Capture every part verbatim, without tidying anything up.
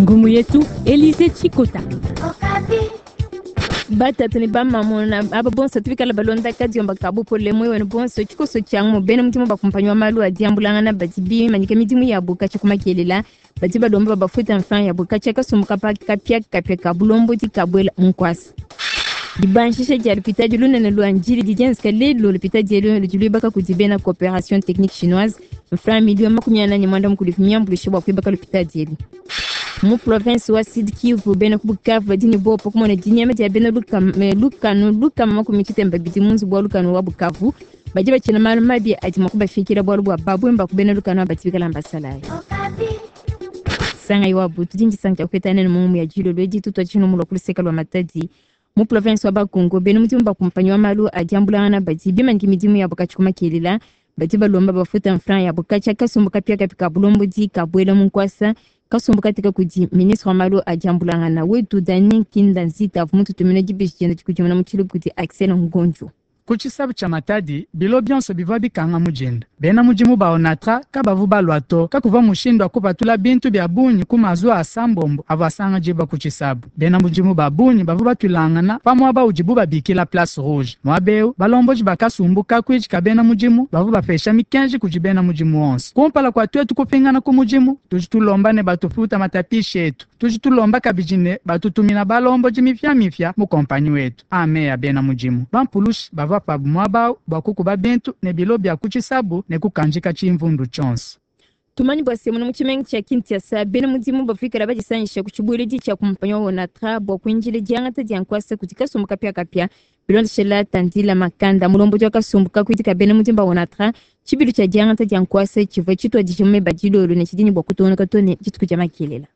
Ngumu yetu Elise Chikota. Batatu ne bamamu na aba bonso tubikala balonda kadiomba kabu pole mwe wenu bonso tshikoso tshiangu bena mudimu bakumpanywa malu a diambulangana badi bimanyika midimu yabu katshia kumakelela badi balomba babafuta mfan yabu katshia kasumbu kapa kapia kapia ka bulombodi kabuela munkwasa. Dibanshisha dia lupitadi lunene lwa Ndjili didienzeka lelu lupitadi elu ludi luibaka kudi bena coopération technique chinoise mfran miliyo makumi anayi ne mwanda mukulu miambuluishe bua kuibaka lupitadi elu. Mu province wa Sud Kivu bena ku Bukavu badi ne buowa pa kumona dinyema dia bena lukanu lukama makumi tshitemba bidi mu nzubu wa lukanu wa Bukavu badi batshina malu mabi adi mua kubafikila bualu bua babwemba ku bena lukanu aba bikala mbasalayi. Sangayi wa butu dindi sanka kupeta nene mu ya jilolo edi tutwa tshino mu lwa lwa Matadi. Mu province wa Bakongo bena mudimu bakumpanyi wa malu a diambulangana badi bimanyika midimu yabo katshia kumakelela badi balomba bafuta mfran yabo katshia kasumbu kapia kapi ka bulombodi kabuela mu nkwasa kasumbu katika kudi ministre wa malu a diambulangana wetu Dani Kinda Nzita avu mututumina dibeji dienda dikudimuna mu tshiluba kudi Axel Ngonjo. Ku tshisabu tshia Matadi bilo bionso bivua bikanga mujinda bena mudimu ba Onatra kabavu balua to kakuvua mushindu wa kupatula bintu bia bungi ku mazuwa a sambombo avua asanga diba ku tshisabu. Bena mudimu ba bungi bavua batuilangana pa muaba udibu babikila Place Rouge. Muaba eu balomboji bakasumbu kakuidi ka bena mudimu bavua bapesha mikenji kudi bena mudimu onso. Kumpala kua tuetu kupingana ku mudimu tudi tulomba ne batufuta matapisha etu, tudi tulomba kabidi ne batutumina balomboji mipiamipia mu kompanyi wetu. Ame ya bena mudimu bampulushi bavua pabu muaba bua kukuba bintu ne bilo bia ku tshisabu ne kukanjika tshimvundu tshionso. Tumanyi bua se muna mu tshimenga tshia Kinshasa bena mudimu bafikala badisangisha ku tshibueledi tshia kumpanyi wa Onatra bua kuinjila diangata dia nkwasa kudi kasumbu kapiakapia bilondeshela Tandila Makanda mulombodi wa kasumbu kakuidi ka bena mudimu ba Onatra tshibilu tshia diangata dia nkwasa tshivua tshituadije mu meba dilolo ne tshidi ne bua kutungunuka too ne dituku dia makelela.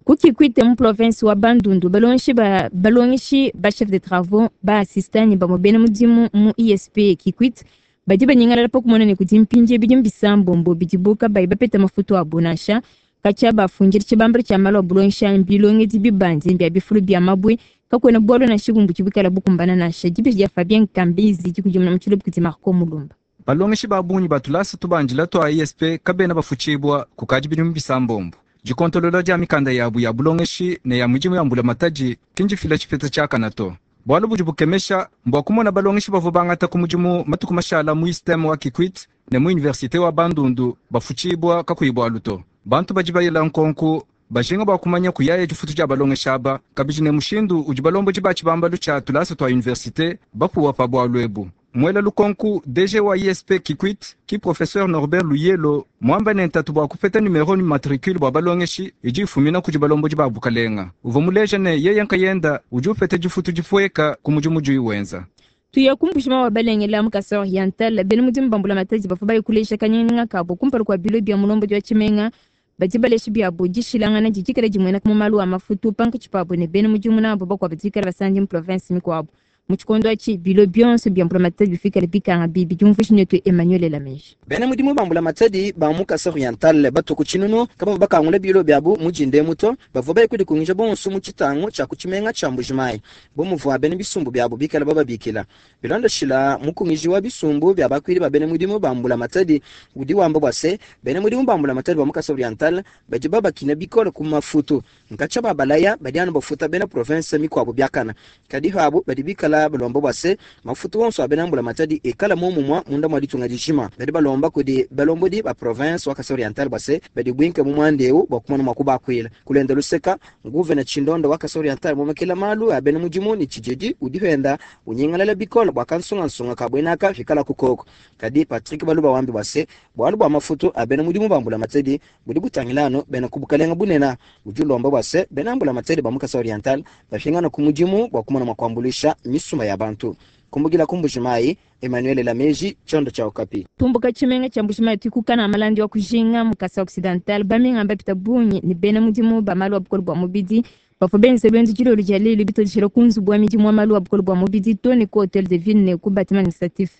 Ku Kikwit mu province wa Bandundu balongeshi ba balongeshi ba chef de travaux ba assistant ne bamue bena mudimu mu I S P Kikwit badi banyingalala pa kumona ne kudi mpindie bidimu bisambombo bidibu kabayi bapeta mafutu abo nansha katshia bafundile tshibambalu tshia malu a bulongesha mbilongedi bibandi bia bifulu bia mabue kakuena bualu nansha bumue budi buikala bukumbana nansha. Dibeji dia Fabien Kambizi dikudimuna mu tshiluba kudi Marco Mulumba. Balongeshi ba bungi ba tulasa tubandila tua I S P kabena bafutshibua kukadi bidimu bisambombo. Dikontolola dia mikanda yabu ya bulongeshi ne ya midimu ya mbulamatadi kinjifila tshipeta tshiakana to. Bualu budi bukemesha mbua kumona balongeshi bavua bangata ku mudimu matuku mashala mu I S T E M wa Kikwit ne mu universite wa Bandundu bafutshibua kakuyi bualu to. Bantu badi bayela nkonku bajinga bua kumanya kuyaya difutu dia balongeshi aba kabidi ne mushindu udi balombodi ba tshibambalu tshia tulasa tua universite bapuwa pa bualu ebu. Mwela lukonku D G wa I S P Kikwit ki professeur Norbert Luyelo mwamba ne ntatu bua kupeta numero ni matricule bua balongeshi idi ifumina kudi balombodi ba bukalenga. Uvua muleja ne yeye nkayenda udi upeta difutu difueka ku mudimu udi wenza. Tuya kumbushima wa balengela mu Kasai Oriental bena mudimu ba mbulamatadi bavua bayikulesha kanyinganyinga kabo kumpala kua bilo bia mulombodi wa tshimenga badi baleshi biabo dishilangana didikala dimueneka mu malu a mafutu pankatshi pabo ne bena mudimu nabo bakuabo dikala basandi mu province mikuabo. Mu tshikondo atshi bilo bionso bia mbulamatadi bifikale bikanga bibi diumvuisha netu Emmanuel Lameji. Bena mudimu ba mbulamatadi ba mu Kasai Oriental batu ku tshinunu kabavua bakangula bilo biabu mu dinde muto bavua baye kudikungisha bonso mu tshitangu tshia ku tshimenga tshia Mbujimayi bu muvua bena bisumbu biabu bikala bababikila. Bilondeshila mukungiji wa bisumbu bia bakuidi ba bena mudimu ba mbulamatadi udi wamba bua se bena mudimu ba mbulamatadi ba mu Kasai Oriental badi babakina bikole ku mafutu nkatsha babalaya badi anu bafuta bena province mikuabu biakana kadi habo badi bikala balomba bua se mafutu wonso a bena mbulamatadi ekala momumwa munda mwa ditunga dijima badi balomba kudi balombodi ba province wa Kasai Oriental bua se badi bwinke mu mwandeu bua kumona mua kubakuila kulenda luseka nguvena tshindondo wa Kasai Oriental momekela malu a bena mudimu ni tshijedi udi henda unyingalala bikole bua kansungansunga kabwenaka fikala kukoko kadi Patrick Baluba wambi bua se bualu bua mafutu a bena mudimu ba mbulamatadi budi butangilano bena kubukalenga bunena udi ulomba bua se bena mbulamatadi ba mu Kasai Oriental bafingana ku mudimu bua kumona mua kuambuluisha misumba ya bantu. Kumbukila ku Mbujimayi, Emmanuel Lameji, Chondo cha Okapi. Tumbuka tshimenga tshia Mbujimayi tukukana malandi wa kujinga mu Kasai Occidental baminga bapita bungi ne bena mudimu ba malu a bukole bua mubidi bavua benze lwenzo dilolo dia lelu bitodishila ku nzubu wa midimu wa malu a bukole bua mubidi to ne ku hotel de ville ne ku bâtiment administratif.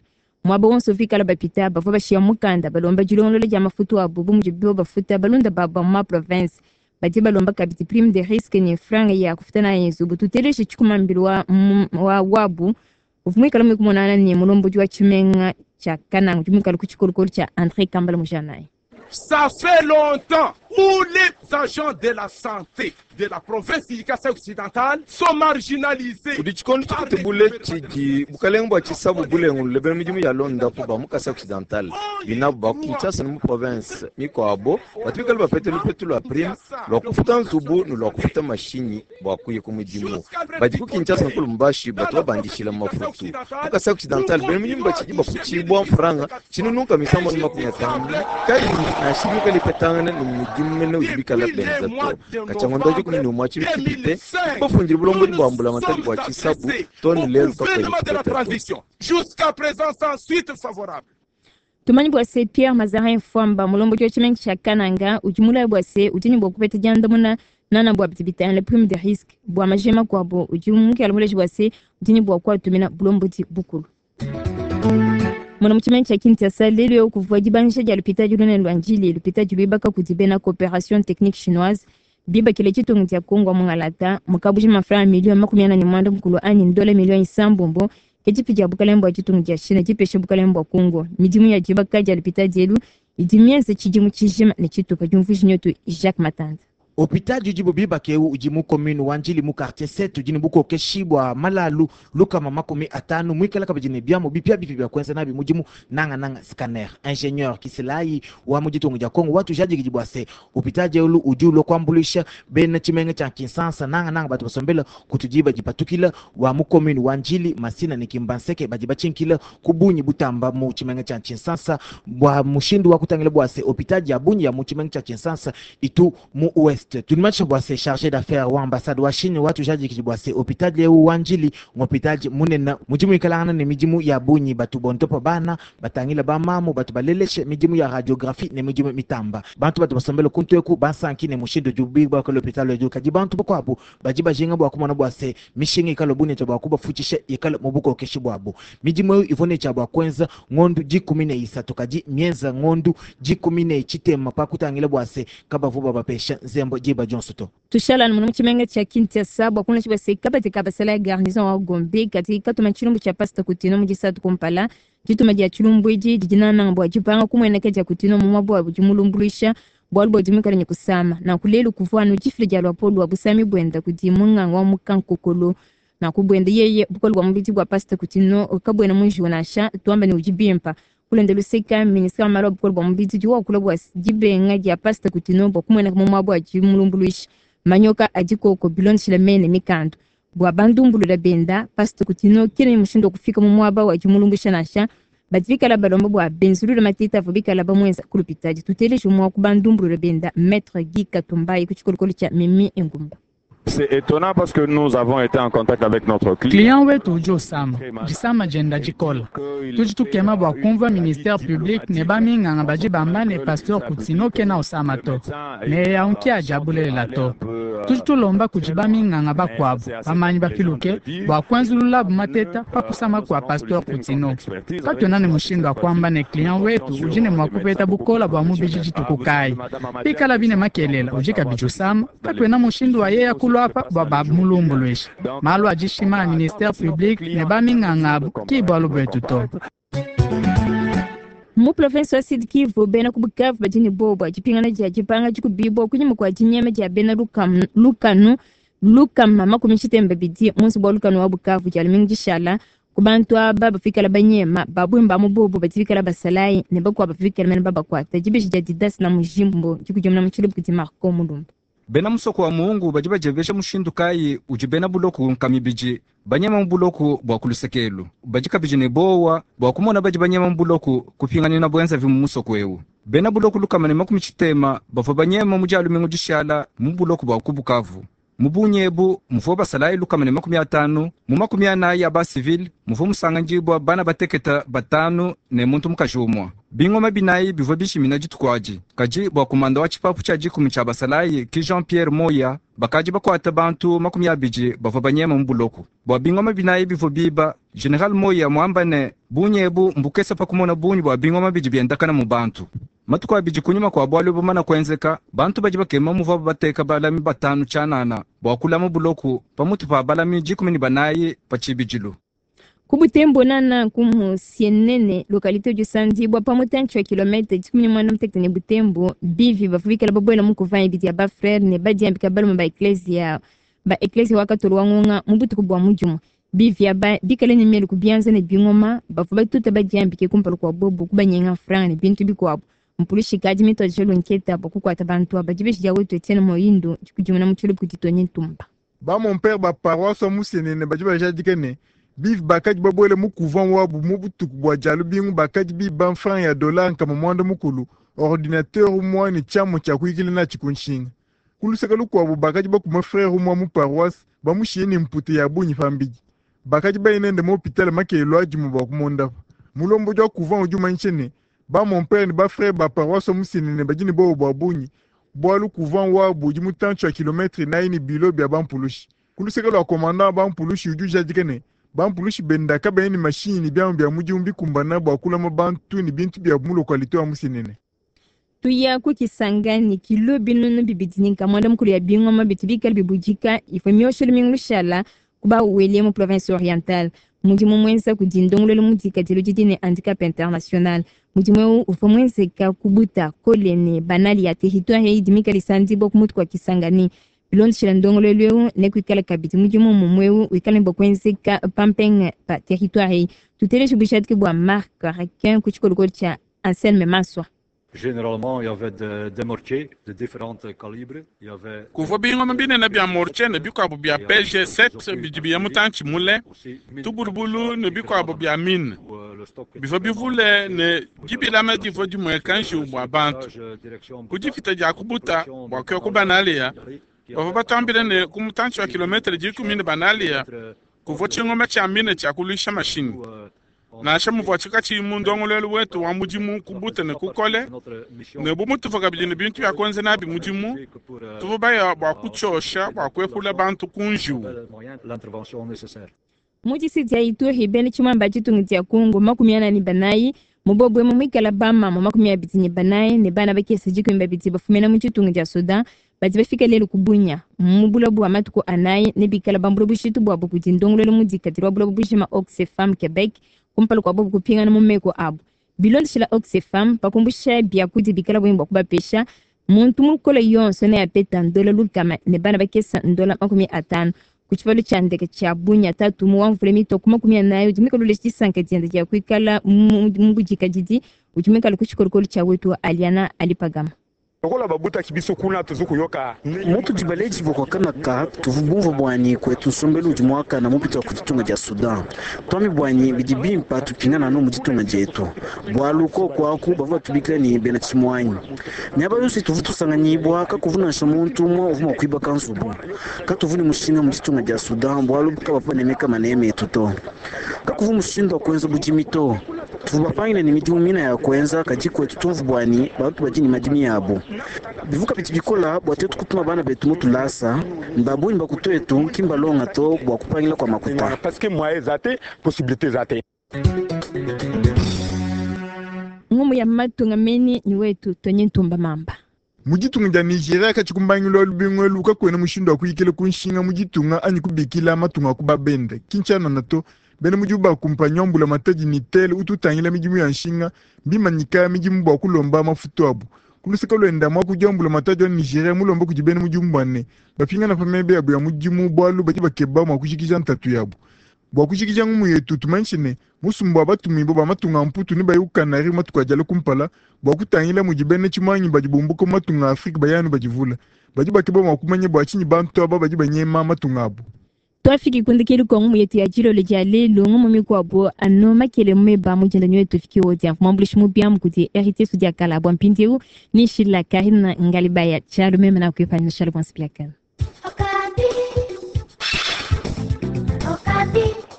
Muaba wonso vikala bapita bavua bashiya mukanda balomba dilongolola dia mafutu abu bu mudibu bafuta balunda babu ba mu ma province. Badi balomba kabidi prime de risque ne franga ya kufuta nayo nzubu. Tuteleshe tshikumambilo wa, wa wabu uvua muikale muikumonana ne mulombodi wa tshimenga tshia Kananga udi muikale ku tshikolokolo tshia André Kambala Mujanayi. Ça fait longtemps. Où les agents de la santé de la province du Kasaï occidental sont marginalisés. Kudi tshikondo tshikutubule tshidi bukalenga bua tshisabu bulengulule bena midimu ya londapu ba mu Kasai occidental binabu ba Kinshasa ne mu province mikuabo batu bikale bapete lupetu lua prime lua kufuta nzubu ne lua kufuta mashinyi bua kuya ku mudimu badi ku Kinshasa ne ku Lubumbashi batu babandishila mafutu mu Kasai occidental bena midimu batshidi bafutshibua mfranga tshinununka misambo ne makumi atanu kayi nansha bikale ipetangana ne mudimu mene udi bikala benza to katshia dikumi ne umue tshidi tshipite bafundile bulombodi bua mbulamatadi bua tshisabu to ne lelu Gouvernement de la transition, jusqu'à présent sans suite favorable. Tumanyi bua se Pierre Mazarin Fwamba mulombodi wa tshimenga tshia Kananga udi mulayi bua se udi ne bua kupeta diandamuna nana bua bidi bitangila prime de risque bua majema kuabo udi mukela muleji bua se udi ne bua kuatumina bulombodi bukulu. Muna mu tshimenga tshia Kinshasa lelu eu kuvua dibangisha dia lupitadi lunene lua Ndjili lupitadi luibaka kudi bena coopération technique chinoise bibakile tshitungu dia Kongo wa mungalata mukabuji mafranga milioni makumi ana ne mwanda mukulu anyi ndola milioni isambombo ke dipi dia bukalenge bua tshitungu dia China dipesha bukalenge bua Kongo midimu ya dibaka dia lupitadi elu idi mienze tshidimu tshijima ne tshitupa diumvuija nyotu Jacques Matanda. Hôpital udi bubibaka eu udi mu commune wa Ndjili mu quartier sept udi ne bukokeshi bua malalu lukama makumi atanu muikala kabidi ne biamu bipia bipi bia kuenza nabi mudimu nangananga scanner ingénieur Kisilayi wa mu ditunga dia Kongo watujadikidi bua se hôpital elu udi ulua kuambuluisha bena tshimenga tshia Kinshasa nangananga batu basombela kutudiba dipatukila wa mu commune wa Ndjili Masina ne Kimbanseke badi batshinkila ku bunyi butamba mu tshimenga tshia Kinshasa bua mushindu wa kutangila bua se hôpital ya bunyi ya mu tshimenga tshia Kinshasa itu mu ouest tulimatsha bua se chargé d'affaires wa ambassade wa Chine watujadikidi bua se hôpital eu wa Ndjili ng'hôpital munene mudimu ikalangana ne midimu ya bunyi batu bontopa bana batangila bamamu batu baleleshe midimu ya radiographie ne midimu mitamba bantu batu basombela kuntu eku basanki ne mushindu udi bua l'hôpital edu kadi bantu bakuabu badi bajinga bua kumona bua se mishinga ikala bunene bua kubafutshisha ikala mu bukokeshi buabu midimu eyo ivua ne tshia bua kuenza ngondu dikumi ne isatu kadi mienza ngondu dikumi ne tshitema pa kutangila bua se kabavu babapesha nzembo diba dionso to. Tushala muna mu tshimenga tshia Kinshasa bua kunena bua se kabadi ka basala ya garnison wa Gombe kadi katuma tshilumbu tshia Pasteur Kutino mu disatu kumpala dituma dia tshilumbu edi didi nananga bua dipanga kumueneka dia Kutino mu muaba budi mulumbuluisha bualu bua dimikala ne kusama nanku lelu kuvua anu difila dia luapolo lua busami buenda kudi munganga wa mukankokolo nanku buenda yeye bukole bua mubidi bua Pasteur Kutino kabuena mu njiwu nansha tuamba ne udi bimpa kulenda luseka ministre wa malu a bukole bua mubidi udi wakula bua dibenga dia Pasteur Kutino bua kumueneka mu muaba adi mulumbuluisha manyoka adi koko bilondeshile mene mikandu bua bandumbulula benda Pasteur Kutino kena ne mushindu wa kufika mu muaba wa dimulumbuluisha nansha badi bikala balomba bua benzulula mateta avua bikala bamuenza ku lupitadi tuteleje umue wa ku bandumbulula benda Maître Guy Katumbayi ku tshikolokolo tshia Mimi Engumba. C'est étonnant parce que nous avons été en contact avec notre client. Client wetu udi usama disama dienda dikola tudi tukema bua kumvua ministère public ne baminganga badi bamba ne Pasteur Kutino kena usama to ne yaunki adi abulelela to tudi tulomba kudi baminganga bakuabu bamanyi bapiluke bua kuenzululabu mateta pa kusama kua Pasteur Kutino katuena ne mushindu wa kuamba ne client wetu udi ne mua kupeta bukola bua mubidi dituku kayi pikala bine makelela udi kabidi usama katuena mushindu wa yeya kulua apa bua bamulumbuluisha malu adishima a ministère public ne baminganga abu ki bualu buetu to. Mu province wa Sud Kivu bena ku Bukavu badi ne bobo dipingana dia dipanga dikubibua kunyima kua dinyema dia bena lukanu, lukanu lukama makumi tshitemba bidi mu nzubu wa lukanu wa Bukavu dia lumingu dishala ku bantu aba bafikala banyema babwimba mu bobo badi bikala basalayi ne bakuabu bafikala mene babakuata dibeji dia Didas na mujimbo dikudimuna mu tshilubu kudi Marco Mulumba. Bena musoko wa muungu badi badiebesha mushindu kayi udi bena buloku nkamibidi banyema mu buloku bua kulusekelu badi kabidi ne bowa bua kumona badi banyema mu buloku kupinganina buenzavi mu musoko ewu bena buloku lukama ne makumi tshitema bavua banyema mu dia lumingu dishala mu buloku bua ku Bukavu mu bunyi ebu muvua basalayi lukama ne makumi atanu mu makumi anayi ya basivile muvua musangandibua bana bateketa batanu ne muntu mukaji umua bingoma binayi bivua bishimina dituku adi kadi bua kumanda wa tshipapu tshia dikumi tshia basalayi ki Jean Pierre Moya bakadi bakuata bantu makumi abidi bavua banyema mu buloku bua bingoma binayi bivua biba General Moya muamba ne bunyi ebu mbukesa pa kumona bunyi bua bingoma bidi biendakana mu bantu matuku abidi kunyima kua bualu bumana kuenzeka bantu badi bakema muvuabu bateka balami batanu tshianana bua kulama buloku pamutu pa balami dikumi ne banayi pa tshibidilu. Ku Butembo nana ku Musienene localité du Sandibwa pa mutantshi wa kilomètre dikumi ne muanda mutekete ne Butembo bivi bavua bikala babuela mu couvent ibidi ya ba frère ne badiambika balume ba ecclesia ba ecclesia wa katolo wa ngonga mu butuku bua mudimu. Bivi aba bikale ne mielu ku bianza ne bingoma bavua batuta badiambike kumpala kua bobo kubanyenga franga ne bintu bikuabu. Mpulushi kadi mituadije lunketa bua kukuata bantu aba. Dibeji dia wetu Etienne Moyindo dikudimuna mu tshilubu kudi Tony Ntumba. Ba mon père ba paroisse wa Musienene badi bajadike ne bivi bakadi babuele mu couvent wabu mu butuku bua dia lubingu bakadi biba franc ya dollar nkama muanda mukulu, ordinateur umue ne tshiamu tshia kuyikila natshi ku nshinga. Ku luseke lukuabu bakadi bakuma frère umue mu paroisse bamushiye ne mpute ya bungi pambidi. Bakadi baye nende mu hôpital makelo adimu bua kumondapa. Mulombodi wa couvent udi umanyisha ne ba mon père ne ba frère ba paroisse wa Musienene badi ne bobo bua bungi bualu couvent wabu udi mutantshi wa kilometre inayi ne bilo bia bampulushi. Ku luseke lua commandant wa bampulushi udi ujadika ne bampulushi benda kabayi ne mashinyi ne biamu bia mudimu bikumbana bua kulama bantu ne bintu biabu mu localité wa Musienene. Tuya ku Kisangani kilo binunu bibidi ne nkama muanda mukulu ya bingoma bitu bikale bibudika ifo mioshelo mingi lushala kuba wele mu province orientale. Mudimu mwenza kudi ndongololo mudikadilo didi ne handicap international. Mudimu eu uvua mwenzeka kubuta kole ne banali ya territoire idi mikale isandibwa ku mutu kua Kisangani. Bilondeshela ndongololo eu nekuikala kabidi mudimu mumue eu wikale ne bua kuenzeka pampenge pa territoire eyi. Tuteleje bujadiki bua Marc Raquin ku tshikolokolo tshia Anselme Maswa. Généralement, il y avait des, des mortiers de différents calibres. Il y avait kuvua bingoma binene bia mortier ne bikuabu bia P G sept bidi biya mutantshi mule, tubulubulu ne bikuabu bia mine bivua bivule ne dibilama divua dimueka njiwu bua bantu. Ku dipita dia kubuta bua kuya ku Banalia, bavua batambile ne ku mutantshi wa kilometre dikumi ne Banalia kuvua tshingoma tshia mine tshia kuluisha mashinyi. Nansha muvua tshikatshi mu ndongoluelu wetu wa mudimu kubuta ne kukole, ne bu mutuvua kabidi ne bintu bia kuenza nabi mudimu, tuvua baya bua kutshiosha bua kuepula bantu ku njiwu. Mu distrikiti ya Ituri bena tshimamba tshitungu dia Kongo makumi ana ne banayi mubobwe mu mwikala bamama makumi abidi ne banayi ne bana bakese dikumi babidi bafumina mu tshitungu dia Sudan badi bafika lelu ku Bunia mu bulobo bua matuku anayi ne bikala bambula bushitu buabu kudi ndongoluelu mudikadile wa bulobo bujima Oxfam Quebec kumpala kua bobu kupingana mu meko abu. Bilondeshela Oxfam pakumbusha biakudi bikala bwimba bua kubapesha muntu mukolo yonso neapeta ndola lukama ne bana bakesa ndola makumi atanu. Ku tshipalu tshia ndeke tshia Bunia tatu mu wa mvula mitoko makumi anayi udi muikale disanka diende dia kuikala mu budikadidi udi muikale ku tshikolokolo tshia wetu Aliana Alipagama. Lokola babutaki biso kuna tuzukuyoka mutu dibaleji bokwakanaka tuvu bwanyi kwetu nsombelu udi mwakana mupita ku ditunga dia Sudan twami bwanyi bidi bimpa tupingana no mu ditunga dietu bwalu ko kwaku bavua tubikila ni bena tshimwanyi miaba yonso tuvu tusanganyibwa kakuvunansha muntu umwe uvuma kuibaka nzubu katuvuni mushinga mu ditunga dia Sudan bwalu kabapanemeka maneme etu to kakuvu mushindu wa kuenza budimi to tuvu bapangile ni midimu mina ya kuenza kadi kwetu tumvu bwanyi bantu badi ni madimi yabo bivuka biti bikola bwa tetu kutuma bana betu mutulasa mbabunyi bakutwetu kimbalonga to bwa kupangila kwa makuta parce que moyen zate possibilité zate ngumu ya matunga meni ni wetu Tonye Ntumba Mamba. Mu ditunga dia Nigeria katshikumbangilu lubingu elu kakuena mushindu wa kuyikila ku nshinga mu ditunga anyi kubikila matunga ku babende Kinshasa to bena mudimu ba kumpanyi wa mbula matadi ni tel ututangila midimu ya nshinga mbimanyika midimu bua kulomba mafutu abu. Kuluseka lwenda mwa kudia mbula matadi wa Nigeria mulomba kudi bena mudimu bwane bapingana pa mebe yabu ya mudimu bwalu badi bakeba mwa kujikija ntatu yabu. Bua kujikija ngumu yetu tumanyishe ne musumbu wa batumibue ba matunga mputu ne bayi ku Kanari matuku adiala kumpala bua kutangila mudi bena tshimanyi badi bumbuka mu matunga a Afrika bayanu badivula badi bakeba mua kumanya bua tshinyi bantu aba badi banyema matunga abu. Twafiki kundikili kwa ngumu yetu ya jilolo dia lelo ngumu mikuabo ano makele meba mujenda nyoyo tufiki wodia mwambulishi mubiamu kuti Héritier Sudia Kala bwa mpindieu ni Shila Karina Ngalibaya chalo meme na kuipanya shalo kwa nsipiakana. Okapi. Okapi.